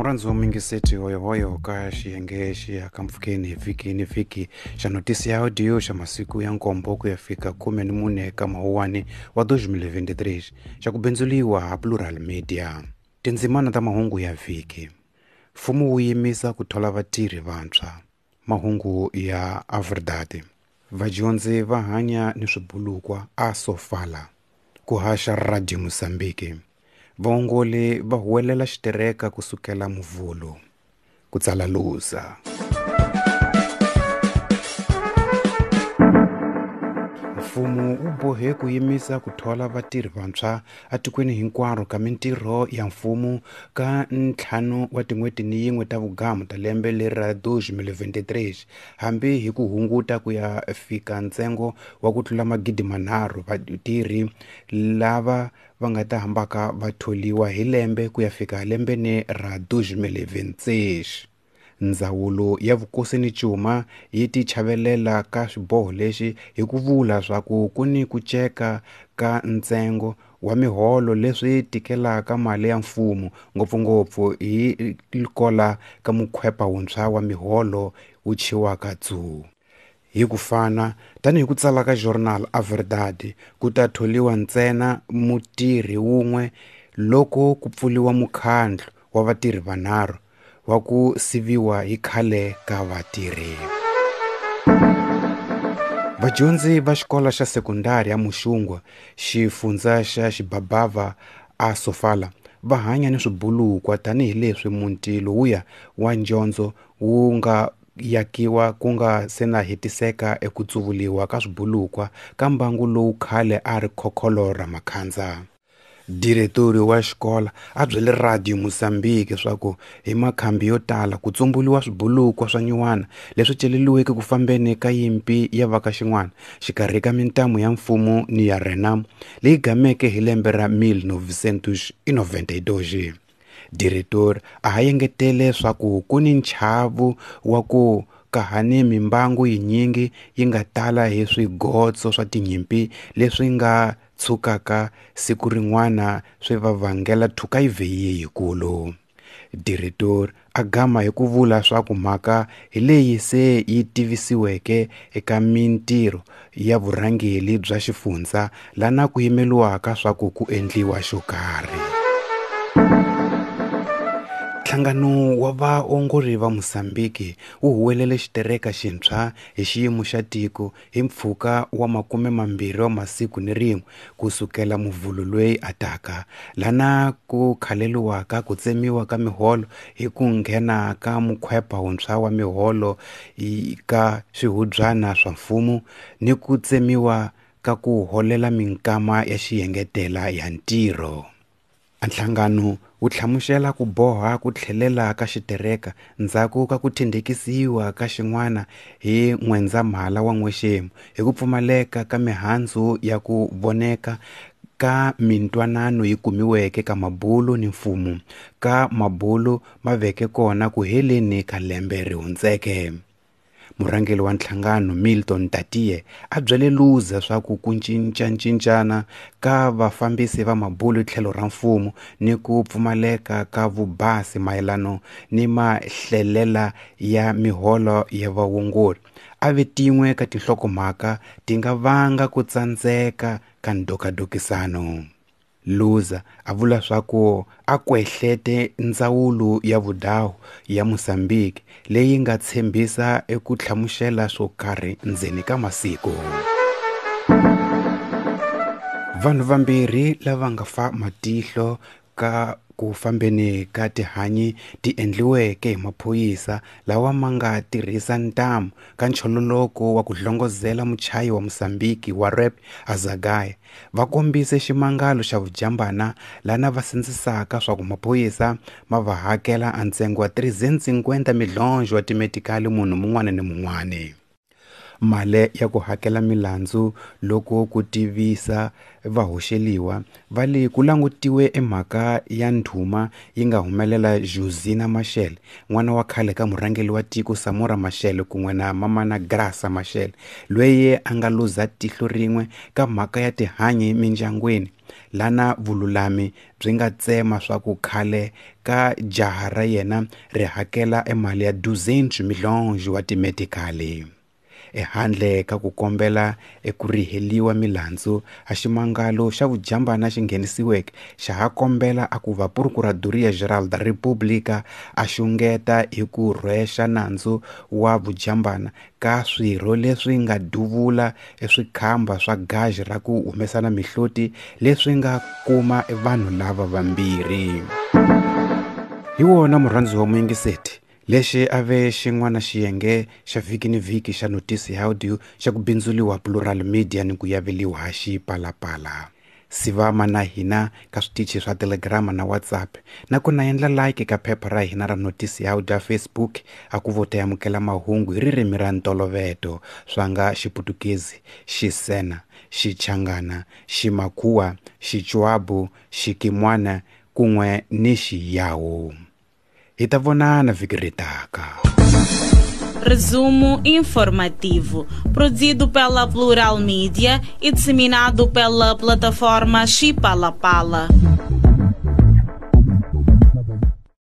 Murhandzi wa mingiseti hoyohoyo ka xiyenge xi ya ka mpfhukeni hi vhiki ni vhiki xa notisi ya audio xa masiku ya nkombo ku ya fika 14 ka mawuwani wa 2023 xa ku bindzuliwa ha Plural Media. Tindzimana ta mahungu ya vhiki. Mfumo wu yimisa ku thola vatirhi vantshwa. Mahungu ya A Verdade. Vadyondzi va hanya ni swibulukwa a Sofala. Ku haxa Radio Mozambique. Vaongoli va huwelela xitereka ku sukela Muvhulu. Ku tsala Luza. Mfumo wu bohe ku yimisa ku thola vatirhi vantshwa etikweni hinkwaro ka mintirho ya mfumo ka ntlhanu wa tin'hweti ni yin'we ta vugamu ta lembe leri ra 2023 hambi hi ku hunguta ku ya fika ntsengo wa ku tlula 3,000 vatirhi lava va nga ta hambaka va tholiwa hi lembe ku ya fika lembeni ra 2026. Ndzawulo ya Vukosi ni Cuma yi tichavelela ka xiboho lexi hi ku vula swa ku ku ni ku ceka ka ntsengo wa miholo leswi tikelaka mali ya mfumo ngopfungopfu hi kola ka mukhwepa wuntshwa wa miholo wu chiwaka dzu. Hi ku fana, tanihi ku tsala ka Jornal A Verdade, ku ta tholiwa ntsena mutirhi wun'we loko ku pfuriwa mukhandlu wa vatirhi vanharhu wa ku siviwa hi khale ka vatirhi. Vadyondzi va xikolo xa sekondari ya Muxungwa, xifundza xa Xibabava a Sofala, va hanya ni swibulukwa tanihileswi muti lowuya wa njondzo wu nga yakiwa ku nga se na hetiseka eku tsuvuliwa ka swibulukwa ka mbangu lowu khale a ri khokholo ra makhandza. Diretori wa xikolo a byele Radio Mozambique swa ku hi makhambi yo tala ku tsumbuliwa swibulukwa swa nyuwana leswi celeriweke ku fambeni ka yimpi ya va ka xin'wana xikarhi ka mintamu ya mfumo ni ya Renamo leyi gameke hi lembe ra 1992. Diretori a ha engetele swa ku ku ni nchavu wa ku kahani mimbangu yinyingi yi nga tala hi swigotso swa tinyimpi leswi nga tshukaka siku rin'wana swi va vangela thukayivheyi yikulu. Diretori a gama hi ku vula swa ku mhaka hi leyi se yi tivisiweke eka mintirho ya vurhangeri bya xifundza lana ku yimeliwaka swa ku ku endliwa xo karhi. Nhlangano wa vaongori va Mozambique wu huwelele xitereka xintshwa hi xiyimo xa tiko hi mpfhuka wa 20 wa masiku ni rin'we ku sukela Muvhulu loyi ataka lana ku khaleliwaka ku tsemiwa ka miholo hi ku nghena ka mukhwepa wuntshwa wa miholo ka swihubyana swa mfumo ni ku tsemiwa ka ku holela minkama ya xiyengetela ya ntirho. Nhlangano wu hlamusela ku boha ku tlhelela ka xitereka ndzhaku ka ku thendekisiwa ka xin'wana hi N'wendzamhala wa n'wexemu hi ku pfumaleka ka mihandzu ya ku voneka ka mintwanano yi kumiweke ka mabulu ni mfumo ka mabulu ma veke kona ku heleni ka lembe ri hundzeke. Murhangeri wa nhlangano Milton Tatie a byele Luza swa ku ku cincacincana ka vafambisi va mabulu tlhelo ra mfumo ni ku pfumaleka ka vubasi mayelano ni mahlelela ya miholo ya vaongori a ve tin'we ka tinhlokomhaka ti nga vanga ku tsandzeka ka ndokadokisano. Luza a vula swa ku a kwehlete ndzawulo ya vudawu ya Mozambique leyi nga tshembisa eku hlamusela swo karhi ndzeni ka masiku. Vanhu vambirhi lava nga fa matihlo ka ku fambeni ka tihanyi ti endliweke hi maphorisa lawa ma nga tirhisa ntamu ka nchololoko wa ku hlongozela muchayi wa Mozambique wa rap Azagaia va kombise ximangalo xa vujambana lana va sindzisaka swa ku maphorisa ma va hakela a ntsengo wa 350 milhonjo wa timetikali munhu mun'wana ni mun'wana. Mali ya ku hakela milandzu loko ku tivisa vahoxeliwa va le ku langutiwe emhaka ya ndhuma yi nga humelela Josina Machel, n'wana wa khale ka murhangeri wa tiko Samora Machel kun'we na mamana Graça Machel, loyi a nga luza tihlo rin'we ka mhaka ya tihanyi mindyangwini, lana vululami byi nga tsema swa ku khale ka jaha ra yena ri hakela emali ya 200 milhonji wa timedikali. Ehandle ka ku kombela eku riheliwa milandzu, a ximangalo xa vujambana xi nghenisiweke xa ha kombela a ku va Procuradoria Geral da República a xungeta hi ku rhwexa nandzu wa vujambana ka swirho leswi nga duvula eswikhamba swa gaji ra ku humesana mihloti leswi nga kuma vanhu lava vambirhi. Hi wona murhandzi wa muyingiseti, lexi a ve xin'wana xiyenge xa vhiki ni vhiki xa Notisi ya Audio xa ku bindzuliwa Plural Media ni ku yaveliwa ha Xipalapala. Sivama na hina ka switichi swa Telegram na WhatsApp, na ku na endla like ka phepha ra hina ra Notisi ya Audio ya Facebook a ku vo ta amukela mahungu hi ririmi ra ntoloveto swa nga Xiputukezi, Xisena, Xichangana, Ximakhuwa, Xichwabu, Xikimwana kun'we ni Xiyawu. Hi ta vonana vhiki ri taka. Resumo informativo, produzido pela Plural Mídia e disseminado pela plataforma Xipalapala.